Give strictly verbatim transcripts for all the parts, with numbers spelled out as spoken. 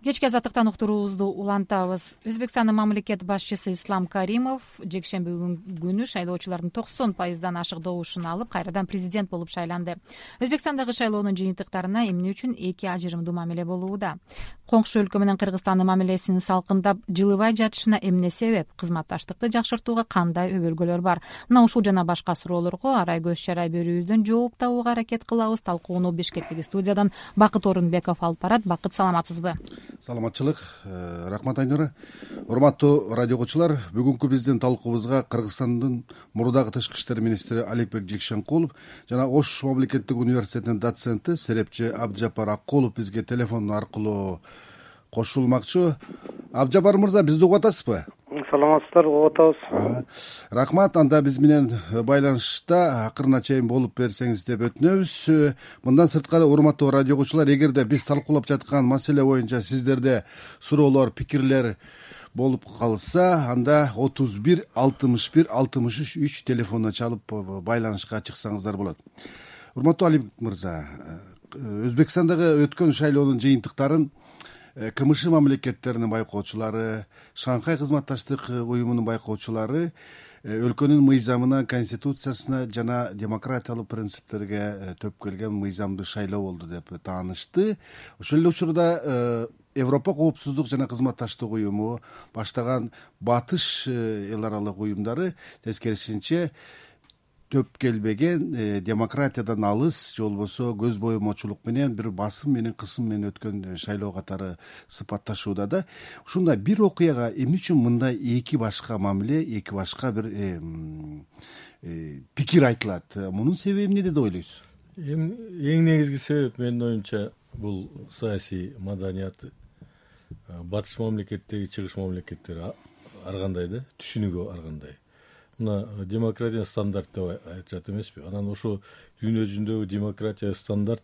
Кечки азаттыктан уктуруубузду улантабыз. Өзбекстандын мамлекет башчысы Ислам Каримов жекшемби күнү шайлоочулардын токсон пайыздан ашык добушун алып, кайрадан президент болуп шайланды. Өзбекстандагы шайлоонун жыйынтыктарына эмне үчүн эки ажырымдуу мамиле болууда? Коңшу өлкө менен Кыргызстандын мамилесинин салкындап, жылыбай жатышына эмне себеп? Кызматташтыкты жакшыртууга кандай өбөлгөлөр бар? Мына ушул жана башка суроолорго арай көз чарай берүүбүздөн жооп табууга аракет кылабыз. Талкууну Бишкектеги студиядан Бакыт Орунбеков алып барат. Бакыт, саламатсызбы? Саламатчылык, рахмат Айнура. Урматтуу радио окуучулар, бүгүнкү биздин талкуубузга Кыргызстандын мурдагы тышкы иштер министри Аликбек Жекшенкулов жана Ош мамлекеттик университетинин доценти Серепчи Абджапар Аккулов бизге телефон аркылуу кошулмакчы. Абджапар мырза, бизди угуп атасызбы? Саламатсыздар, угуп атабыз. Рахмат. Анда биз менен байланышта акырына чейин болуп берсеңиз деп өтүнөбүз. Мындан сырткары, урматтуу радио окуучулар, эгерде биз талкуулап жаткан маселе боюнча сиздерде суроолор, пикирлер болуп калса, анда отуз бир алтымыш бир алтымыш үч телефонуна чалып байланышка чыксаңыздар болот. Урматтуу Алик мырза, Өзбекстандагы өткөн шайлоонун жыйынтыктарын КМШ мамлекеттеринин байкоочулары, Шанхай кызматташтык уюмунун байкоочулары өлкөнүн мыйзамына, конституциясына жана демократиялык принциптерге төп келген мыйзамдуу шайлоо болду деп таанышты. Ошол эле учурда Европа коопсуздук жана кызматташтык уюму баштаган батыш эл аралык уюмдары тескерисинче төп келбеген демократиядан алыс, же болбосо көз боемочулук менен бир басым менен кысым менен өткөн шайлоо катары сыпатташууда да. Ушундай бир окуяга эмне үчүн мындай эки башка мамиле, эки башка бир пикир айтылат? Мунун себеби эмнеде деп ойлойсуз? Эң негизги себеп, менин оюмча, бул саясий маданият. Батыш мамлекеттеги чыгыш мамлекеттер ар кандай да, түшүнүгү ар кандай. Мына демократия стандарт деп айтышат эмеспи? Анан ошо дүйнө жүзүндөгү демократия стандарт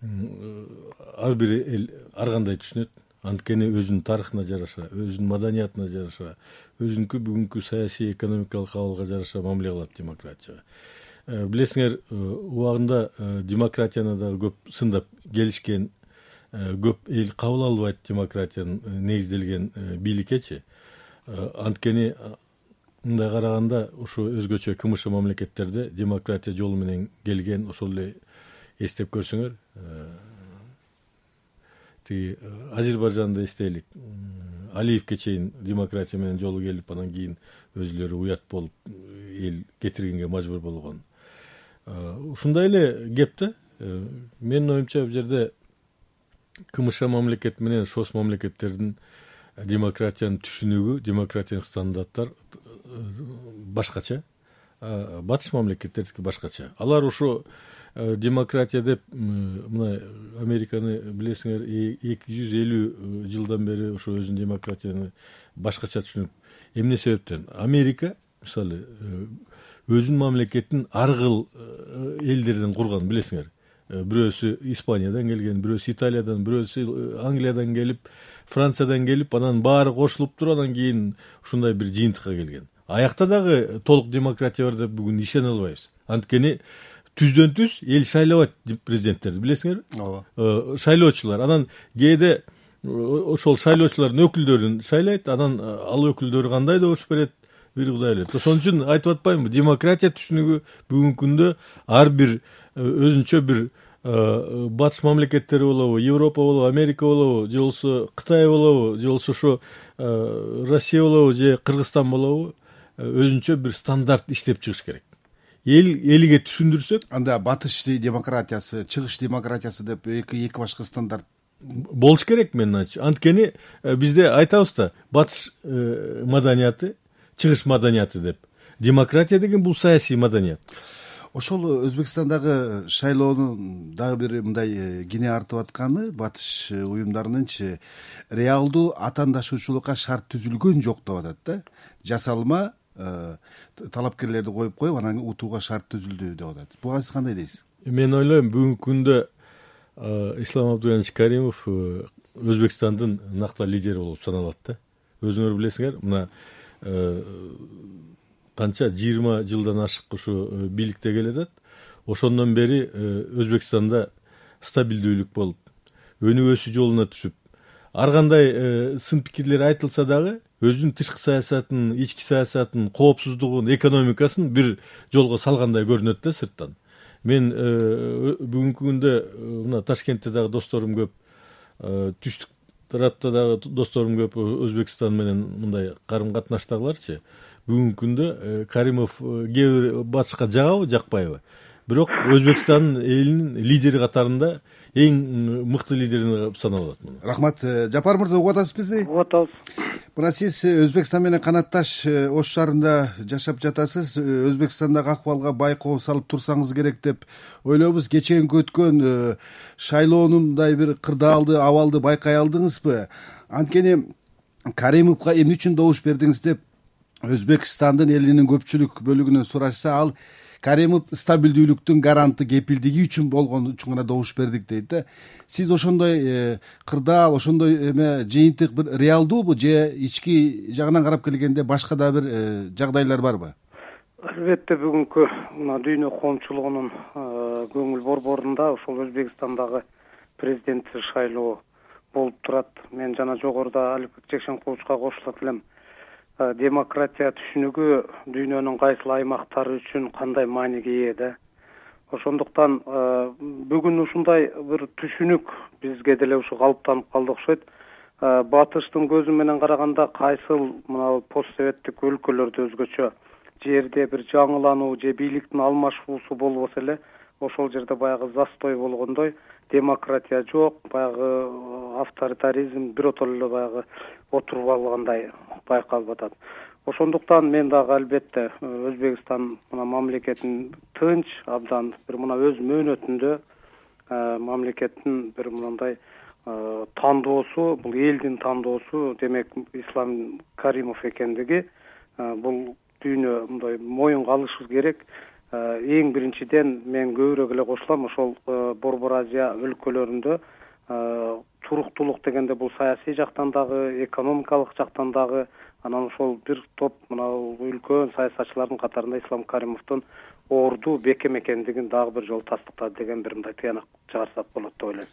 ар бир эл ар кандай түшүнөт. Анткени өзүнүн тарыхына жараша, өзүнүн маданиятына жараша, өзүнүnkү бүгүнкү саясий экономикалык абалга жараша мамиле кылат демократияга. Билесиңер, убагында демократияны дагы көп сындап келишкен, көп эл кабыл албайт демократиянын негизделген бийликечи. Анткени мындай караганда, ошо өзгөчө КМШ мамлекеттерде демократия жолу менен келген, ошол эле эстеп көрсөңөр, тиги Азербайжанды эстейлик. Алиевке чейин демократия менен жолу келип, анан кийин өзүлөрү уят болуп, эл кетиргенге мажбур болгон. Ушундай эле кеп да. Менин оюмча, бул жерде КМШ мамлекет менен ШОС мамлекеттердин демократиянын түшүнүгү, демократиялык стандарттар башкача. Батыш мамлекеттердики башкача. Алар ошо демократия деп, мына Американы билесиңер, эки жүз элүү жылдан бери ошо өзүнүн демократияны башкача түшүнүп. Эмне себептен? Америка, мисалы, өзүнүн мамлекетин ар кыл элдерден курган, билесиңер. Бирөөсү Испаниядан келген, бирөөсү Италиядан, бирөөсү Англиядан келип, Франциядан келип, анан баары кошулуп туруп, анан кийин ушундай бир жыйынтыкка келген. Аякта дагы толук демократия бар деп бүгүн ишене албайбыз. Анткени түздөн түз эл шайлабайт президенттерди, билесиңерби? Ооба. Шайлоочулар. Анан кээде ошол шайлоочулардын өкүлдөрүн шайлайт, анан ал өкүлдөрү кандай добуш берет, бир Кудай билет. Ошон үчүн айтып атпаймынбы, демократия түшүнүгү бүгүнкү күндө ар бир өзүнчө бир батыш мамлекеттери болобу, Европа болобу, Америка болобу, же болбосо Кытай болобу, же болбосо ошо Россия болобу, же Кыргызстан болобу, өзүнчө бир стандарт иштеп чыгыш керек. Эл элиге түшүндүрсөк, анда батыш демократиясы, чыгыш демократиясы деп эки эки башка стандарт болуш керек, менин айтчы. Анткени бизде айтабыз да, батыш маданияты, чыгыш маданияты деп. Демократия деген бул саясий маданият. Ошол Өзбекстандагы шайлоонун дагы бир мындай кине артып атканы, батыш уюмдарынынчы реалдуу атаандашуучулукка шарт түзүлгөн жок деп атат да. Жасалма талапкерлерди коюп коюп, анан утууга шарт түзүлдү деп атат. Буга сиз кандай дейсиз? Мен ойлойм, бүгүнкү күндө Ислам Абдуллаевич Каримов Өзбекстандын накта лидери болуп саналат да. Өзүңөр билесиңер, мына канча жыйырма жылдан ашык ушу бийликте келатат. Ошондон бери Өзбекстанда стабилдүүлүк болуп, өнүгүүсү жолуна түшүп, ар кандай сын пикирлер айтылса дагы өзүнүн тышкы саясатын, ички саясатын, коопсуздугун, экономикасын бир жолго салгандай көрүнөт да сырттан. Мен бүгүнкү күндө мына Ташкентте дагы досторум көп, түштүк тарапта дагы досторум көп, Өзбекстан менен мындай карым катнаштагыларчы. Бүгүнкү күндө Каримов кээ бир батышка жагабы, жакпайбы, бирок Өзбекстан элинин лидери катарында эң мыкты лидери саналат. Рахмат. Жапар мырза, угуп атасыз бизди? Угуп атабыз. Мына сиз Өзбекстан менен канатташ Ош шаарында жашап жатасыз. Өзбекстандагы акыбалга байкоо салып турсаңыз керек деп ойлойбуз. Кечээинки өткөн шайлоонун мындай бир кырдаалды абалды байкай алдыңызбы? Анткени Каримовго эмне үчүн добуш бердиңиз деп Өзбекстандын элинин көпчүлүк бөлүгүнөн сурашса, ал Каримов стабилдүүлүктүн гаранты, кепилдиги үчүн болгон үчүн гана добуш бердик дейт да. Сиз ошондой кырдаал, ошондой эме жыйынтык бир реалдуубу, же ички жагынан карап келгенде башка да бир жагдайлар барбы? Албетте бүгүнкү мына дүйнө коомчулугунун көңүл борборунда ошол Өзбекстандагы президенттик шайлоо болуп турат. Мен жана жогоруда Алипбек Жекшенкуловичка кошулат элем. Демократия түшүнүгү дүйнөнүн кайсыл аймактары үчүн кандай мааниге ээ да. Ошондуктан бүгүн ушундай бир түшүнүк бизге деле ушу калыптанып калды окшойт. Батыштын көзү менен караганда кайсыл мына постсоветтик өлкөлөрдө өзгөчө жерде бир жаңылануу же бийликтин алмашуусу болбосо эле, ошол жерде баягы застой болгондой демократия жок, баягы авторитаризм биротоло эле баягы отуруп алгандай байкалып атат. Ошондуктан мен дагы албетте Өзбекстан мына мамлекетин тынч, абдан бир мына өз мөөнөтүндө мамлекеттин бир мындай тандоосу, бул элдин тандоосу, демек Ислам Каримов экендиги бул дүйнө мындай моюнга алышы керек. Эң биринчиден мен көбүрөөк эле кошулам, ошол Борбор Азия өлкөлөрүндө туруктуулук дегенде бул саясий жактан дагы, экономикалык жактан дагы, анан ошол бир топ мына үлкөн саясатчылардын катарында Ислам Каримовдун орду бекем экендигин дагы бир жолу тастыктады деген бир мындай тыянак чыгарсак болот деп ойлойм.